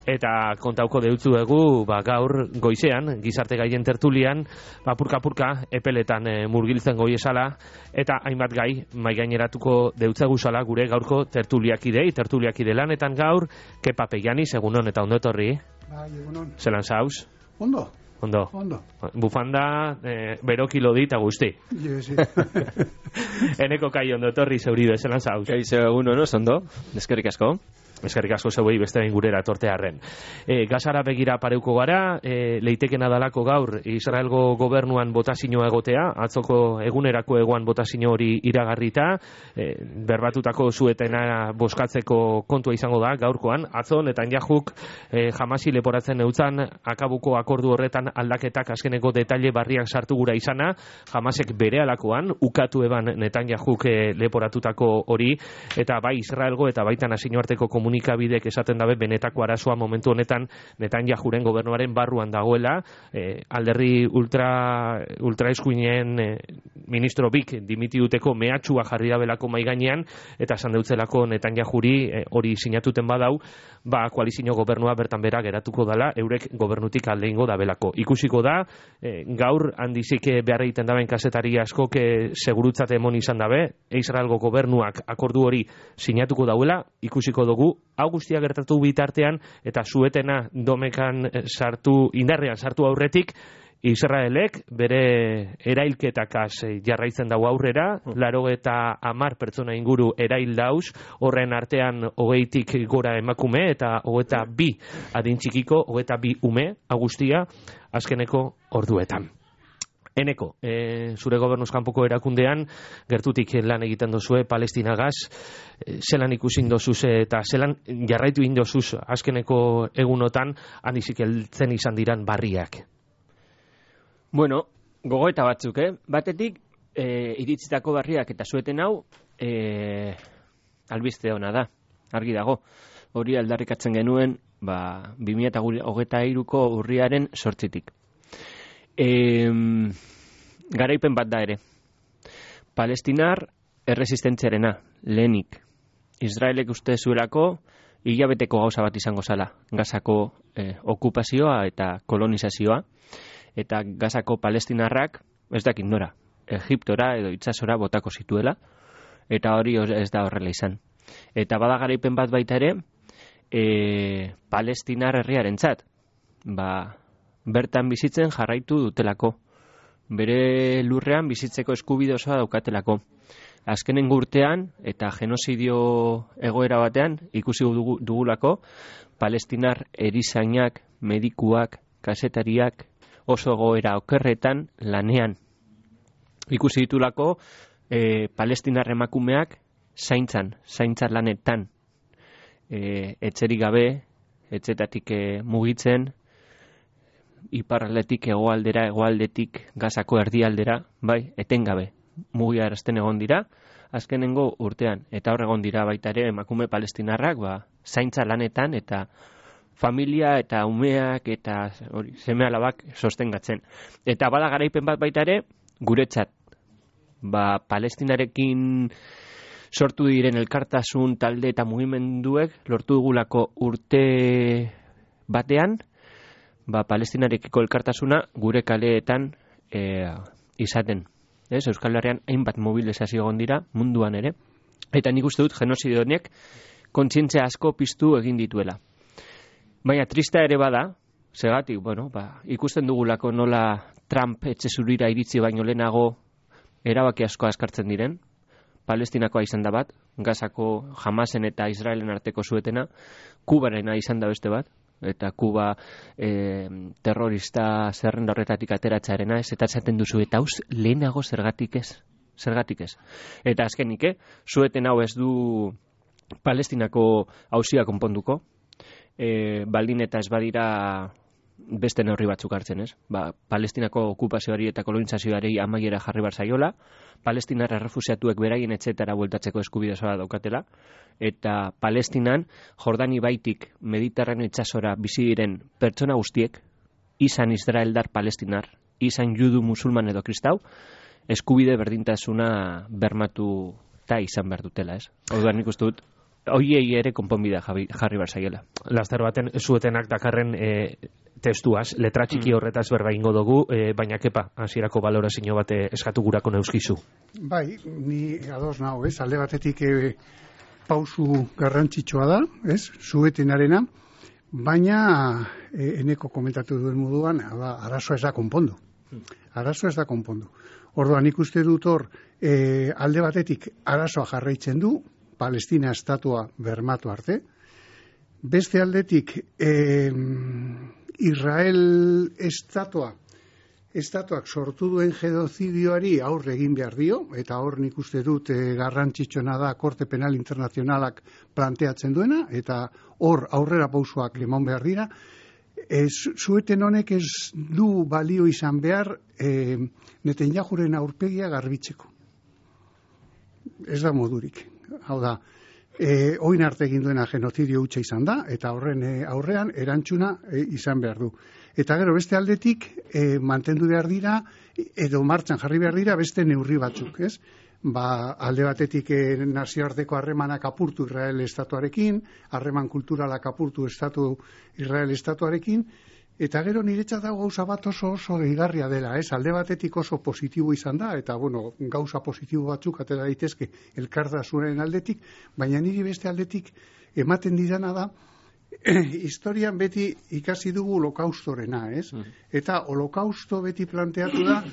Eta kontauko deutzu egu, gaur goizean, gizarte gaien tertulian, purka-purka epeletan murgiltzen goi esala, eta hainbat gai maigaineratuko deutzegu sala gure gaurko tertuliakide lanetan gaur, Kepa Peiani, egunon eta ondo etorri. Bai, egunon. Zelan zauz? Ondo. Bufanda, berokilo dit, guzti. Sí. Eneko kai ondo etorri zeuribe, zelan zauz? Kaixo egunon, ondo, eskerrik asko. Eskerrik asko zeuei beste behin gurera tortearren. Gazara begira pareuko gara, leitekena dalako gaur Israelgo gobernuan botazioa egotea, atzoko egunerako egoan botazio hori iragarrita, berbatutako zuetena boskatzeko kontua izango da gaurkoan. Atzo Netanyahu Hamasi leporatzen eutzan akabuko akordu horretan aldaketak azkeneko detaile barriak sartu gura izana, Hamasek berehalakoan ukatu eban Netanyahu leporatutako hori, eta bai Israelgo eta baita nazioarteko komunikabidek esaten dabe benetako arazoa momentu honetan Netanyahuren gobernuaren barruan dagoela, alderri ultraeskuinen ministro bik dimitiuteko mehatxua jarri dabelako maigainean, eta esan deutzelako Netanyahuri hori sinatuten badau, koalizio gobernua bertan bera geratuko dala, eurek gobernutik aldeingo dabelako. Ikusiko da, gaur handizik behar egiten daben kazetari askok segurutzate emon izan dabe, Israelgo gobernuak akordu hori sinatuko dauela, ikusiko dugu, hau guztia gertatu bitartean, eta zuetena domekan indarrean sartu aurretik, Israelek bere erailketakaz jarraitzen dago aurrera, 80 pertsona inguru erail dauz, horren artean 20tik gora emakume eta 22 adin txikiko, 22 ume, agustia, azkeneko orduetan. Eneko, zure gobernuz kanpoko erakundean, gertutik lan egiten dozue Palestinagaz, zelan ikusin dozuz eta zelan jarraitu indozuz azkeneko egunotan, handizik heltzen izan diran barriak? Bueno, gogoeta batzuk, Batetik, iritzitako barriak eta zueten hau, albiste ona da, argi dago. Hori aldarrikatzen genuen, 2023ko urriaren 8tik. Garaipen bat da ere. Palestinar erresistentziarena, lehenik. Israelek uste zuelako hilabeteko gauza bat izango zala. Gazako okupazioa eta kolonizazioa. Eta Gazako palestinarrak, ez dakit nora, Egiptora edo itsasora botako zituela, eta hori ez da horrela izan. Eta bada garaipen bat baita ere, palestinar herriarentzat, bertan bizitzen jarraitu dutelako, bere lurrean bizitzeko eskubide osoa daukatelako. Azkenengo urtean eta genozidio egoera batean ikusi dugulako palestinar erizainak, medikuak, kazetariak, oso goera okerretan lanean. Ikusi ditulako palestinar emakumeak zaintza lanetan, etxerik gabe, etxetatik mugitzen, iparraldetik hegoaldetik Gazako erdialdera, etengabe mugiarazten egon dira, azkenengo urtean, eta hor egon dira baita ere emakume palestinarrak, zaintza lanetan eta familia eta umeak eta seme-alabak sostengatzen. Eta bada garaipen bat baita ere, guretzat, Palestinarekin sortu diren elkartasun talde eta mugimenduek lortu dugulako urte batean, Palestinarekiko elkartasuna gure kaleetan izaten. Euskal Herrian hainbat mobilizazio egon dira, munduan ere, eta nik uste dut genozidio honek kontzientzia asko piztu egin dituela. Baina trista ere bada, segatik, ikusten dugulako nola Trump etxe zurira iritzi baino lehenago erabaki asko askartzen diren, Palestinakoa izan da bat, Gazako Hamasen eta Israelen arteko zuetena, Kubarena izan da beste bat, eta Kuba terrorista zerrenda horretatik ateratzearena ez, eta esaten duzu, eta hauz lehenago zergatik ez. Eta azkenik, zueten hau ez du Palestinako auzia konponduko, baldin eta ez badira beste neurri batzuk hartzen, ez? Palestinako okupazioari eta kolonizazioari amaiera jarri bar zaiola, Palestinar errefusiatuek beraien etxetara bueltatzeko eskubide osoa daukatela, eta Palestinan Jordani baitik Mediterraneo itsasora bizi diren pertsona guztiek, izan israeldar palestinar, izan judu, musulman edo kristau, eskubide berdintasuna bermatu eta izan behar dutela, ez? Orduan nik uste dut hoiei ere konponbidea jarri barzaiela. Laster baten zuetenak dakarren testuaz, letra txiki horretaz berba ingo dugu, baina kepa, hasierako balorazio bat eskatu gurako neuskizu. Bai, ni ados nago, alde batetik pausu garrantzitsua da, zuetenarena, baina eneko komentatu duen moduan, arazoa ez da konpondu. Arazoa ez da konpondu. Orduan, nik uste dut hor, alde batetik arazoa jarraitzen du, Palestina estatua bermatu arte. Beste aldetik, Israel estatuak sortu duen genozidioari aurre egin behar dio, eta hor nik uste dut garrantzitsuna da Korte Penal Internazionalak planteatzen duena, eta hor aurrera pausoak eman behar dira. Zueten honek ez du balio izan behar Netanyahuren aurpegia garbitzeko. Ez da modurik. Hau da, oin arte egin duena genozidio hutsa izan da, eta horren aurrean erantzuna izan behar du. Eta gero beste aldetik mantendu behar dira, edo martxan jarri behar dira beste neurri batzuk, ez? Alde batetik nazioarteko harremanak apurtu Israel estatuarekin, harreman kulturalak apurtu Israel estatuarekin, eta gero niretzat dago gauza bat oso deigarria dela, ez? Alde batetik oso positibo izan da, eta gauza positibo batzuk atera daitezke elkartasunaren aldetik, baina niri beste aldetik ematen didana da, historian beti ikasi dugu holokaustorena, ez? Eta holokausto beti planteatu da,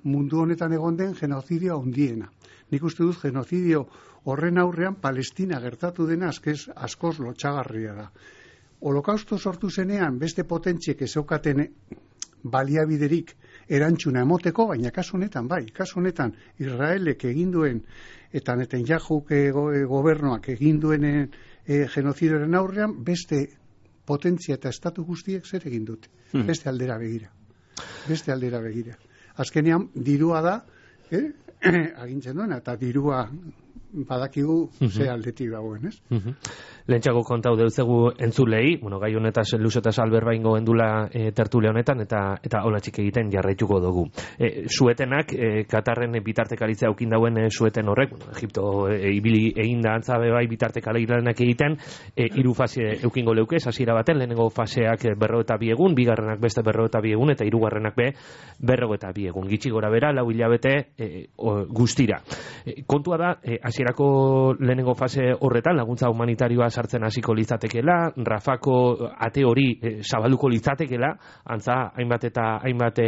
mundu honetan egon den genozidio handiena. Nik uste dut genozidio horren aurrean Palestina gertatu dena askoz lotxagarria da. Holokausto sortu zenean beste potentziek ezaukaten baliabiderik erantzuna emoteko, baina kasu honetan Israelek egin duen eta Netanyahuk gobernuak egin duen genozidioaren aurrean beste potentzia eta estatu guztiek zer egin dute. Beste aldera begira. Azkenean dirua da, agintzen duena, eta dirua badakigu ze aldetik dagoen, ez? Lehentxako kontau deutzegu entzulei, gai honetaz luzotaz alberba ingo endula tertule honetan, eta hola txik egiten jarraituko dugu. Suetenak, Katarren bitartekaritza aukin dauen sueten horrek, Egipto ibili egin da antzabe bai bitartekaritzak egiten, 3 fase eukingo leukez, hasiera baten, lehenengo faseak 42 egun, bigarrenak beste 42 egun, eta hirugarrenak 42 egun. Gitxi gora bera, 4 hilabete guztira. Kontua da, hasierako lehenengo fase horretan, laguntza humanitarioa sartzen hasiko litzatekeela, Rafako ate hori zabalduko litzatekeela, antza hainbat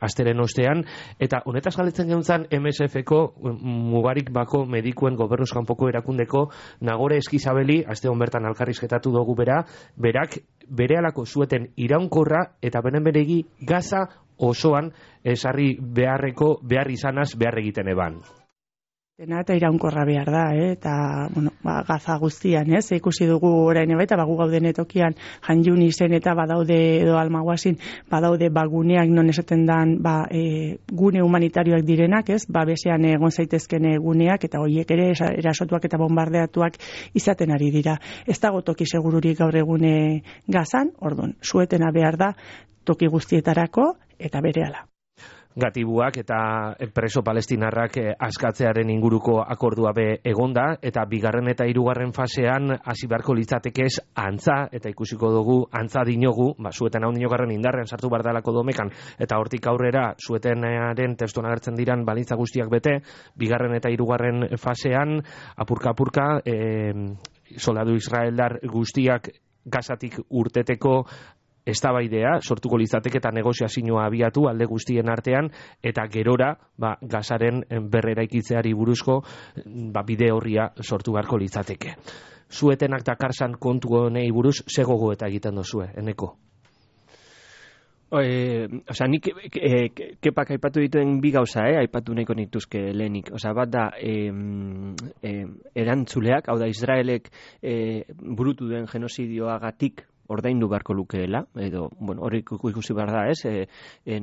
asteren ostean, eta honetaz galetzen geuntzan MSF-ko mugarik bako medikuen gobernuz kanpoko erakundeko Nagore Eskizabeli, aste hon bertan alkarrizketatu dugu berak berehalako zueten iraunkorra eta beregi Gaza osoan esarri behar izanaz behar egiten eban. Eta iraunkorra behar da, eta Gaza guztian, ikusi dugu orain eta gu gauden tokian Han Yunisen eta badaude edo Almaguasin badaude guneak non esaten dan gune humanitarioak direnak, besean egon zaitezken guneak, eta horiek ere erasotuak eta bombardeatuak izaten ari dira. Ez dago toki segururik gaur egune Gazan, orduan, suetena behar da toki guztietarako eta berehala. Gatibuak eta preso palestinarrak askatzearen inguruko akordua egonda, eta bigarren eta hirugarren fasean hasi beharko litzatekez antza, eta ikusiko dugu antza dinogu, zueten hau dinogarren indarrean sartu bardalako domekan, eta hortik aurrera zuetenaren testuan agertzen diran balitza guztiak bete, bigarren eta hirugarren fasean apurka soldadu israeldar guztiak Gazatik urteteko eztabaidea sortuko litzateke eta negoziazioa abiatu alde guztien artean, eta gerora Gazaren berreraikitzeari buruzko bide horria sortu beharko litzateke. Zuetenak dakarsan kontu honei buruz ze gogo eta egiten dozue, Eneko? Nik kepak aipatu dituen bi gauza, aipatu nahiko nituzke lehenik. Bat da, erantzuleak, hau da, Israelek burutu duen genozidioagatik ordaindu beharko lukeela, edo, hori ikusi behar da,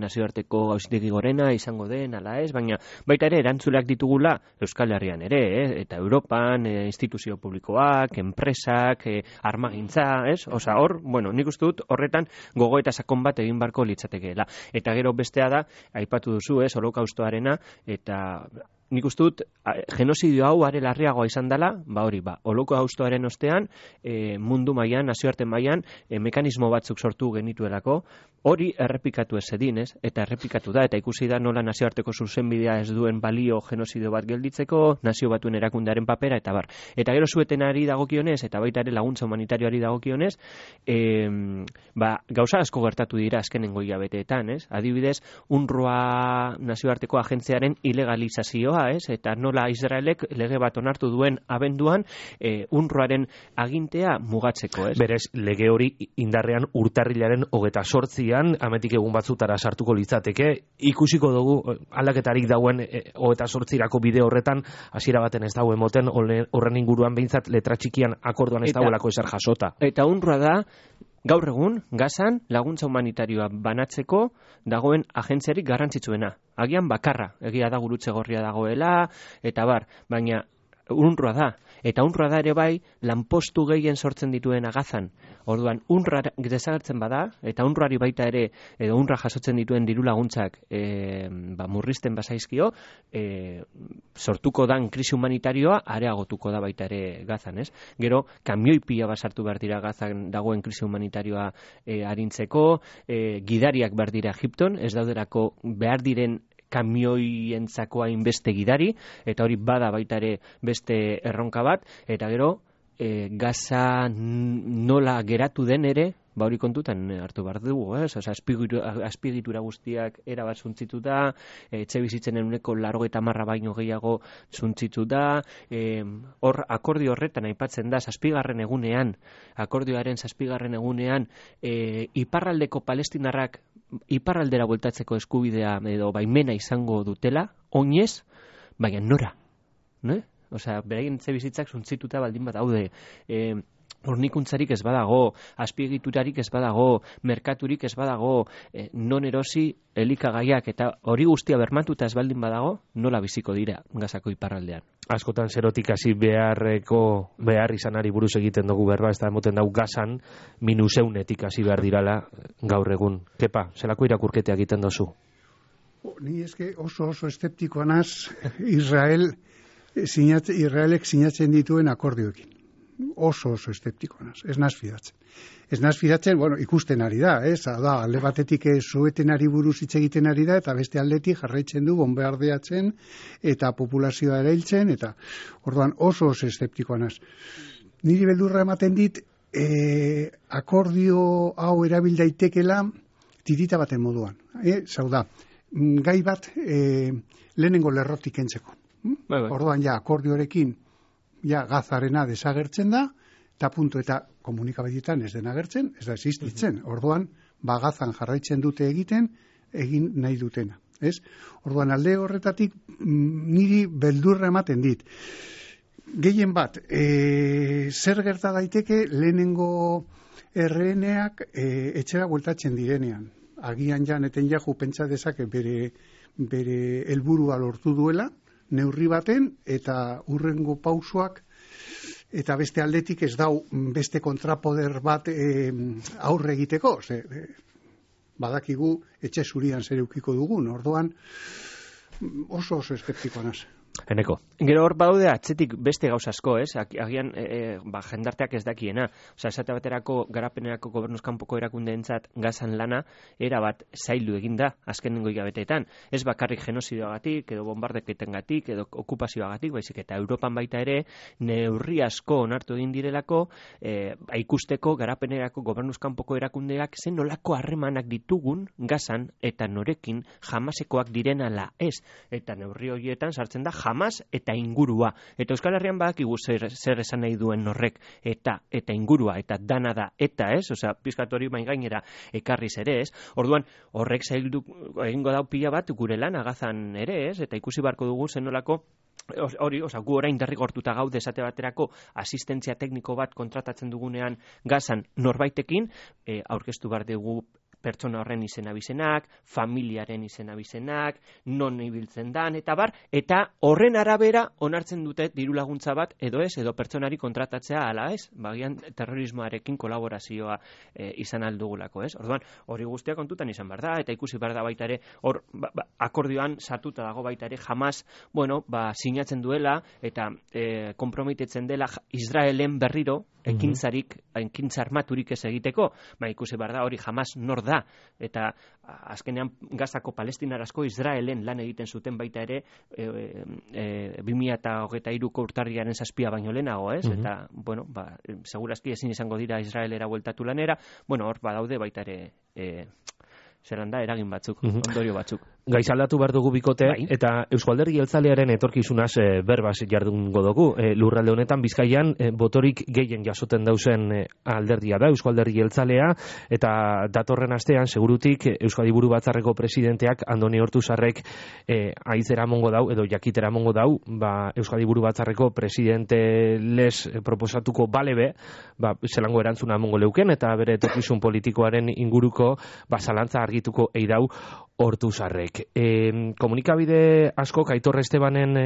nazioarteko gauzitegi gorena izango den, ala ez, baina baita ere erantzuleak ditugula Euskal Herrian ere, eta Europan, instituzio publikoak, enpresak, armagintza, hor, nik uste dut horretan gogo eta sakon bat egin beharko litzatekeela. Eta gero bestea da, aipatu duzu, holokaustoarena, eta nik uste dut, genozidio hau are larriagoa izan dela, Holokaustoaren ostean, mundu mailan, nazioarte mailan, mekanismo batzuk sortu genituelako, hori errepikatu ez edin, ez? Eta errepikatu da, eta ikusi da nola nazioarteko zuzenbidea ez duen balio genozidio bat gelditzeko, nazio batuen erakundearen papera, eta bar. Eta gero zuetenari dagokionez, eta baita ere laguntza humanitarioari dagokionez, gauza asko gertatu dira azkenengo hilabeteetan, ez? Adibidez, UNRWA nazioarteko agentziaren ilegalizazioa, ez? Eta nola Israelek lege bat onartu duen abenduan UNRWAren agintea mugatzeko, ez? Berez, lege hori indarrean urtarrilaren 28an, ametik egun batzutara sartuko litzateke, ikusiko dugu aldaketarik dauen 28irako bide horretan, hasiera baten ez dauen moten, horren inguruan behintzat letra txikian akorduan ez dauelako ezer jasota. Eta UNRWA da, gaur egun, Gazan laguntza humanitarioa banatzeko dagoen agentziarik garrantzitsuena. Agian bakarra, egia da gurutze gorria dagoela, eta bar, baina UNRWA da. Eta UNRWA da ere bai, lanpostu gehien sortzen dituen Gazan. Orduan, UNRWA desagertzen bada, eta UNRWAri baita ere, edo UNRWA jasotzen dituen diru laguntzak murrizten bazaizkio, sortuko dan krisi humanitarioa areagotuko da baita ere Gazan, ez? Gero, kamioi pila basartu behar dira Gazan dagoen krisi humanitarioa arintzeko, gidariak behar dira Egipton, ez dauderako behar diren kamioientzako hainbeste gidari, eta hori bada baita ere beste erronka bat, eta gero Gaza nola geratu den ere, hori kontutan hartu behar dugu, azpiegitura guztiak erabat zuntzituta, etxe bizitzen ehuneko 90 baino gehiago zuntzituta, hor akordio horretan aipatzen da, akordioaren 7. egunean, iparraldeko palestinarrak iparraldera bueltatzeko eskubidea edo baimena izango dutela, oinez, baina nora, ne? Osea, beraien etxe bizitzak zuntzituta baldin bat daude, hornikuntzarik ez badago, azpiegiturarik ez badago, merkaturik ez badago, non erosi elikagaiak, eta hori guztia bermatuta ez baldin badago, nola biziko dira Gazako iparraldean. Askotan zerotik hasi behar izanari buruz egiten dugu berba, ez da emoten dau Gazan minuseunetik hasi behar dirala gaur egun. Kepa, zelako irakurketea egiten dozu? Ni eske oso eskeptikoa naz Israelek sinatzen dituen akordioekin. Oso eskeptikoa naz, ez naz fidatzen. Ez naz fidatzen, ikusten ari da, alde batetik suetenari buruz hitz egiten ari da, eta beste aldetik jarraitzen du bombardeatzen eta populazioa erailtzen, eta orduan oso eskeptikoa naz. Niri beldurra ematen dit, akordio hau erabil daitekela tirita baten moduan. Zauda, gai bat lehenengo lerrotik kentzeko. Orduan akordioarekin Gazarena desagertzen da, eta punto, eta komunikabideetan ez den agertzen, ez da existitzen. Orduan, Gazan jarraitzen dute egin nahi dutena. Orduan, alde horretatik niri beldurra ematen dit. Gehien bat, zer gerta daiteke lehenengo erreneak etxera bueltatzen direnean. Agian janeten jaju pentsa dezake bere helburua lortu duela, neurri baten, eta hurrengo pausoak, eta beste aldetik ez dau beste kontrapoder bat aurre egiteko. Badakigu etxe zurian zer eukiko dugun, orduan oso eskeptikoa naz. Eneko. Gero hor badaude atzetik beste gauza asko, ez? Agian jendarteak ez dakiena. Osea, esate baterako garapenerako gobernuzkanpoko erakundeentzat Gazan lana erabat zaildu egin da azkenengo hilabeteetan. Ez bakarrik genozidioagatik edo bombardeketengatik edo okupazioagatik, baizik eta Europan baita ere neurri asko onartu egin direlako ikusteko garapenerako gobernuzkanpoko erakundeak zen nolako harremanak ditugun Gazan eta norekin jamasekoak diren ala ez. Eta neurri horietan sartzen da Hamas eta ingurua. Eta Euskal Herrian badakigu zer esan nahi duen horrek eta ingurua, eta dana da, eta ez, osea, pizkatori main gainera ekarriz ere ez. Orduan, horrek zaildu egingo dau pila bat gure lan Gazan ere ez, eta ikusi barko dugu zenolako hori, gu orain derrigortuta gaude esate baterako asistentzia tekniko bat kontratatzen dugunean Gazan norbaitekin, aurkeztu behar dugu pertsona horren izena-bizenak, familiaren izena-bizenak, non ibiltzen dan, eta bar, eta horren arabera onartzen dute diru laguntza bat, edo ez, edo pertsonari kontratatzea ala ez, bagian terrorismoarekin kolaborazioa izan aldugulako, ez? Orduan, hori guztia kontutan izan behar da, eta ikusi behar da baita ere, hor, akordioan sartuta dago baita ere, jamás, sinatzen duela, eta konprometitzen dela Israelen berriro, ekintza armaturik ez egiteko, ikusi behar da hori jamás nor da, eta azkenean Gazako palestinarazko Israelen lan egiten zuten baita ere 2023ko urtarriaren 7 baino lehenago, ez? Eta, segurazki ezin izango dira Israelera bueltatu lanera, hor badaude baita ere zeran da, eragin batzuk, ondorio batzuk. Gaiz aldatu behar dugu bikote, eta Eusko Alderdi Jeltzalearen etorkizunaz berbaz jardungo dugu. Lurralde honetan Bizkaian botorik gehien jasoten dauzen alderdia da, Eusko Alderdi Jeltzalea, eta datorren astean, segurutik, Euskadi Buru Batzarreko presidenteak Andoni Ortuzarrek aitzera mongo dau, edo jakitera mongo dau, Euskadi Buru Batzarreko presidente les proposatuko balebe, zelango erantzuna mongo leuken, eta bere etorkizun politikoaren inguruko zalantza argituko eidau Ortuzarrek. Komunikabide askok Aitor Estebanen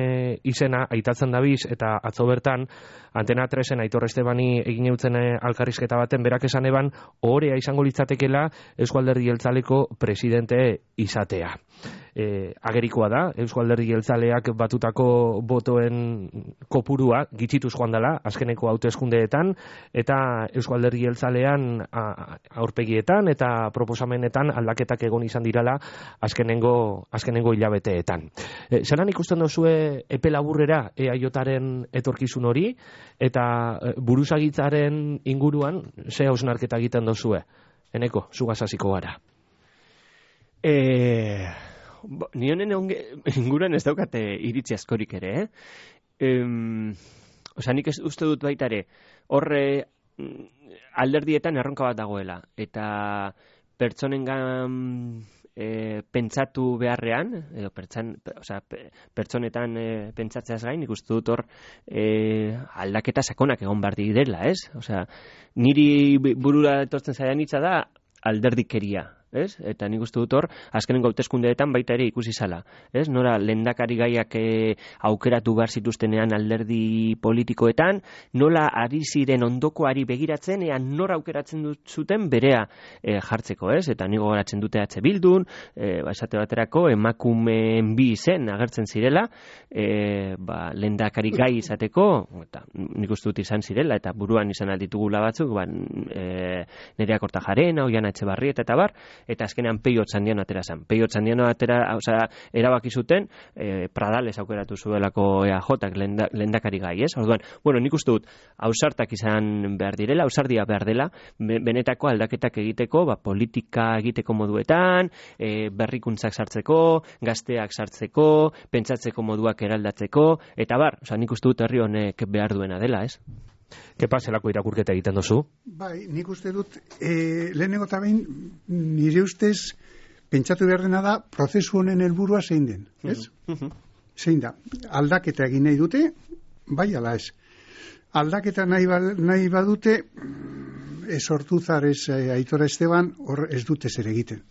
izena aitatzen dabiz, eta atzo bertan Antena 3en Aitor Estebani egin eutzen alkarrizketa baten berak esan eban ohorea izango litzatekela Eusko Alderdi Jeltzaleko presidente izatea. Agerikoa da, Eusko Alderdi Jeltzaleak batutako botoen kopurua gitxituz joan dela azkeneko hauteskundeetan, eta Eusko Alderdi Jeltzalean aurpegietan eta proposamenetan aldaketak egon izan dirala azkenengo hilabeteetan. Zelan ikusten dozue epe laburrera EAJaren etorkizun hori, eta buruzagitzaren inguruan ze hausnarketa egiten dozue? Eneko, zugaz hasiko gara. Ni honen inguruan ez daukate iritzi askorik ere, nik uste dut baita ere, horre alderdietan erronka bat dagoela, eta pertsonengan pentsatu beharrean, edo pertsonetan pentsatzeaz gain, ikustu dut hor aldaketa sakonak egon behar direla, ez? Niri burura etortzen zaidan hitza da alderdikeria, ez? Eta nik uste dut hor, azkenengo hauteskundeetan baita ere ikusi zala, ez? Nora lehendakari gaiak aukeratu behar zituztenean alderdi politikoetan, nola ari ziren ondokoari begiratzen, nora aukeratzen zuten berea jartzeko, ez? Eta nik gogoratzen dute Bildun, esate baterako, emakumeen bi izen agertzen zirela, lehendakari gai izateko, eta nik uste dut izan zirela, eta buruan izan alditugula batzuk, Nerea Kortajarena, Oiana Etxebarrieta eta bar, eta azkenean Peio Otxandiano atera zen. Peio Otxandiano erabaki zuten Pradales aukeratu zuelako EAJak lehendakari gai, ez? Orduan, nik uste dut ausartak izan behar direla, ausardia behar dela, benetako aldaketak egiteko, politika egiteko moduetan, berrikuntzak sartzeko, gazteak sartzeko, pentsatzeko moduak eraldatzeko, eta bar, nik uste dut herri honek behar duena dela, ez? Kepa, zelako irakurketa egiten dozu? Nik uste dut, lehenengo eta behin, nire ustez, pentsatu behar dena da, prozesu honen helburua zein den, ez? Zein da, aldaketa egin nahi dute, bai ala ez. Aldaketa nahi badute, ez Ortuzar, ez Aitor Esteban, hor ez dute zer egiten.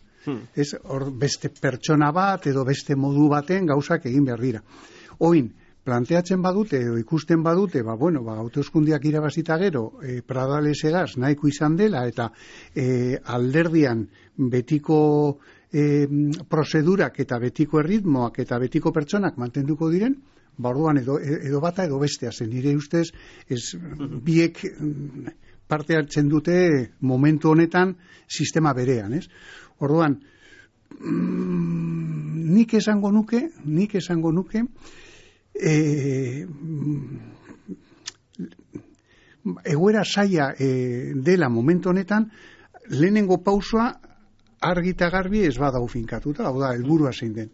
Ez, hor beste pertsona bat, edo beste modu baten gauzak egin behar dira. Oin, planteatzen badute, edo ikusten badute, hauteskundeak irabazita gero, Pradales egaz nahiko izan dela, eta alderdian betiko prozedurak eta betiko erritmoak eta betiko pertsonak mantenduko diren, orduan edo bata edo bestea zen. Nire ustez, biek parte hartzen dute momentu honetan sistema berean, ez? Orduan, nik esango nuke, egoera zaila dela momentu honetan, lehenengo pausoa argita garbi ez badau finkatuta, hau da, helburua zein den.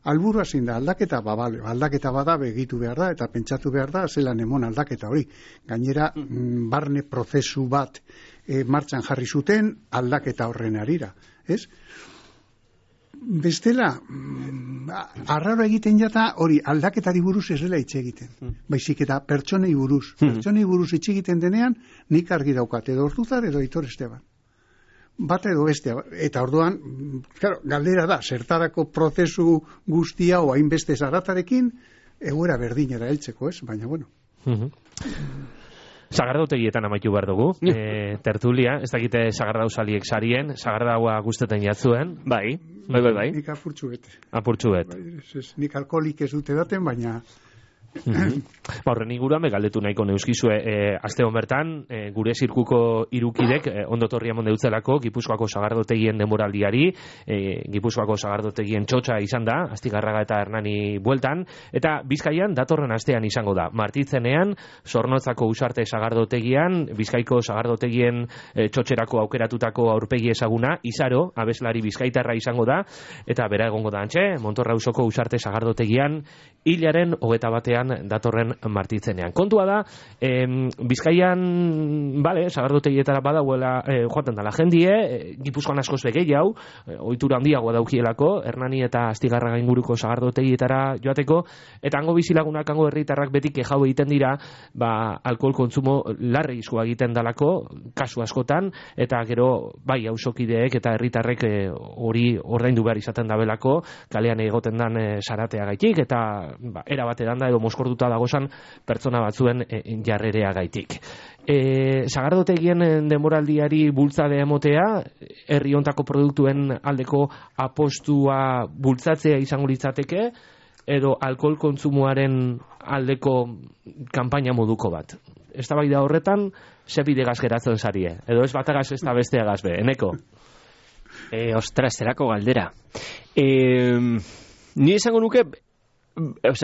Helburua zein da, aldaketa bada begitu behar da, eta pentsatu behar da, zelan emon aldaketa hori. Gainera, barne prozesu bat martxan jarri zuten aldaketa horren arira, ez? Bestela, arraro egiten jata hori aldaketari buruz ez dela hitz egiten. Baizik eta pertsonei buruz. Pertsonei buruz hitz egiten denean, nik argi daukat, edo Ortuzar edo Aitor Esteban. bata edo bestea. Eta orduan, claro, galdera da, zertarako prozesu guztia o hainbeste zaratarekin, egoera berdinera heltzeko, ez? Baina, bueno. Sagardotegietan amaitu behar dugu. Tertulia, ez dakite sagardauzaliek sarien, sagardaua guztetan jatzuen. Bai. Nik apurtxu bete. Apurtxu bet. Nik alkoholik ez dute daten, baina... Horren inguruan galdetu nahiko neuskizue, aste hon bertan gure zirkuko irukidek ondo torria monde utzelako Gipuzkoako sagardotegien denboraldiari, Gipuzkoako sagardotegien txotxa izan da, Astigarraga eta Hernani bueltan, eta Bizkaian datorren astean izango da. Martitzenean, Zornotzako Usarte sagardotegian, Bizkaiko sagardotegien txotxerako aukeratutako aurpegi ezaguna, Izaro, abeslari bizkaitarra izango da, eta bera egongo da antxe, Montorrauzoko Usarte sagardotegian, hilaren 21 datorren Martitzenean. Kontua da, Bizkaian, sagardotegietara badauela joaten dala jendie, Gipuzkoan askoz begei hau, ohitura handiagoa daukielako, Hernani eta Astigarraga inguruko sagardotegietara joateko, eta hango bizilagunak, hango herritarrak beti kexau egiten dira, alkohol kontsumo larreizkoa egiten dalako, kasu askotan, eta gero, auzokideek eta herritarrek hori ordaindu behar izaten dabelako, kalean egoten dan saratea gaitik, eta era batean da edo moskortuta dagozan pertsona batzuen jarrerea gaitik. Sagardotegien denboraldiari bultzade emotea, herri hontako produktuen aldeko apostua bultzatzea izango litzateke, edo alkohol kontsumoaren aldeko kanpaina moduko bat. Eztabaida horretan, ze bidegaz geratzen zarie? Edo ez batagaz ez da besteagaz be, Eneko? Ostras, zerako galdera. Ni esango nuke,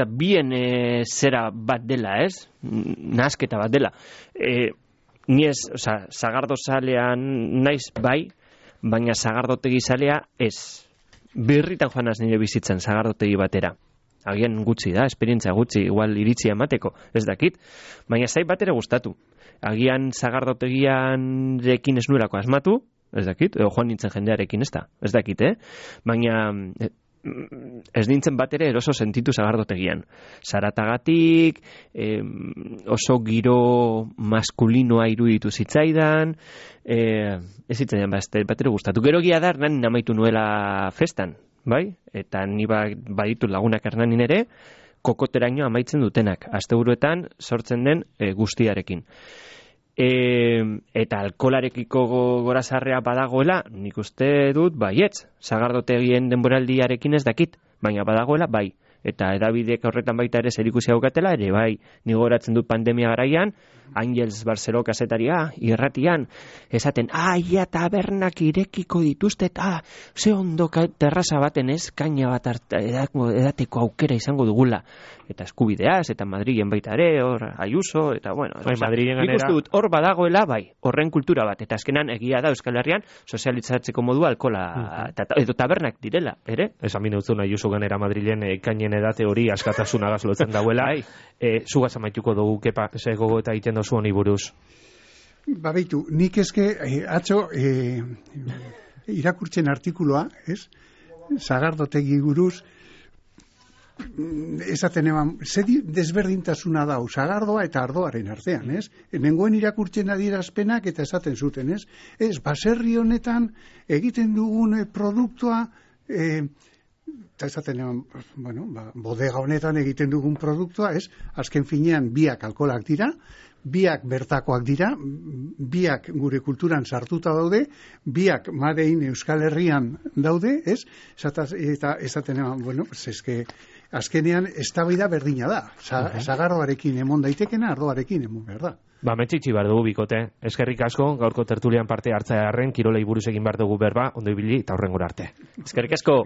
bien zera bat dela, ez? Nasketa bat dela. Ni ez, sagardozalean naiz bai, baina sagardotegi zalea ez. Birritan joan az nire bizitzen sagardotegi batera. Agian gutxi da, esperientzia gutxi, igual iritsia emateko, ez dakit. Baina zait bat ere gustatu. Agian sagardotegian rekin ez nuelako asmatu, ez dakit, edo joan nintzen jendearekin ez da, ez dakit, baina... ez nintzen bat ere eroso sentitu sagardotegian. Zaratagatik, oso giro maskulinoa iruditu zitzaidan, ez zitzaidan bat ere gustatu. Gero gia da, Hernanin amaitu nuela festan, bai? Eta ni baditu lagunak Hernanin ere, kokoteraino amaitzen dutenak, asteburuetan sortzen den guztiarekin. Eta alkolarekiko gorazarrea badagoela, nik uste dut baietz, sagardotegien denboraldiarekin ez dakit, baina badagoela bai. Eta edabidek horretan baita ere zerikusi haukatela, ere bai, nigo horatzen dut pandemia garaian, Ángels Barceló kasetaria, irratian, esaten, ia tabernak irekiko dituzte, eta ze ondo terraza baten ez, kaina bat edateko aukera izango dugula. Eta eskubideaz, eta Madrilen baita ere, hor, Ayuso, eta bueno. Nik uste dut, hor badagoela, bai, horren kultura bat, eta azkenan egia da Euskal Herrian, sozialitzatzeko modua alkola, edo tabernak direla, ere? Esan minautzun Ayuso ganera Madrilen kainen edate hori askatasunagaz lotzen dauela. Zugaz amaituko dugu, kepa, ze gogo eta egiten dozu honi buruz? Baitu, nik eske atzo irakurtzen artikuloa, ez? Sagardotegi buruz, esaten eman, desberdintasuna dau, sagardoa eta ardoaren artean, ez? Nengoen irakurtzen adierazpenak eta esaten zuten, ez? Ez, baserri honetan egiten dugun produktua, eta esaten eman, bodega honetan egiten dugun produktua, ez? Azken finean biak alkolak dira, biak bertakoak dira, biak gure kulturan sartuta daude, biak madein Euskal Herrian daude, ez? Eta esaten eman, eske azkenean eztabaida berdina da. Sagardoarekin emon daitekena, ardoarekin emon behar da. Metxitxi behar dugu bikote. Eskerrik asko, gaurko tertulian parte hartzearen, kirolei buruz egin behar dugu berba, ondo ibili eta horrengora arte. Eskerrik asko.